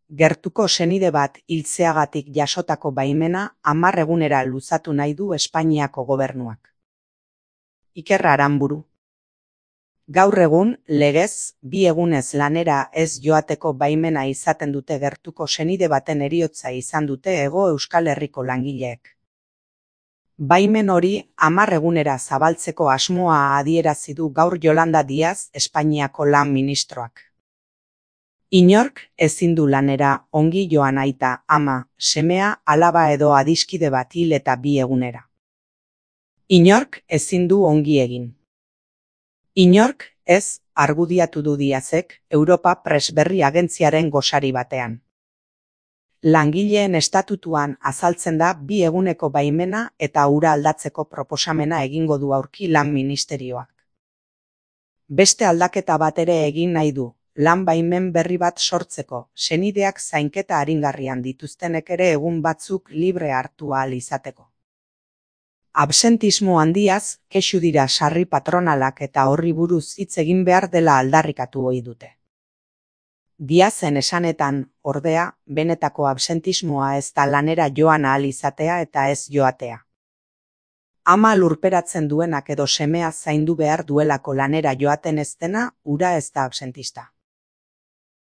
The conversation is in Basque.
Gertuko senide bat hiltzeagatik jasotako baimena 10 egunera luzatu nahi du Espainiako gobernuak. Iker Aranburu. Gaur egun, legez, 2 egunez lanera ez joateko baimena izaten dute gertuko senide baten heriotza izan dute Hego Euskal Herriko langileek. Baimen hori 10 egunera zabaltzeko asmoa adierazi du gaur Yolanda Díaz, Espainiako lan ministroak. Inork ezin du lanera ongi joan aita, ama, semea, alaba edo adiskide bat hil eta 2 egunera. Inork ezin du ongi egin. Inork ez, argudiatu du Díazek, Europa Press Berri agentziaren gosari batean. Langileen estatutuan azaltzen da 2 eguneko baimena eta hura aldatzeko proposamena egingo du aurki lan ministerioak. Beste aldaketa bat ere egin nahi du, lan baimen berri bat sortzeko, senideak zainketa aringarrian dituztenek ere egun batzuk libre hartu ahal izateko. Absentismo handiaz, kexu dira sarri patronalak eta horri buruz hitz egin behar dela aldarrikatu ohi dute. Díazen esanetan, ordea, benetako absentismoa ez da lanera joan ahal izatea eta ez joatea. Ama lurperatzen duenak edo semea zaindu behar duelako lanera joaten ez dena, hura ez da absentista.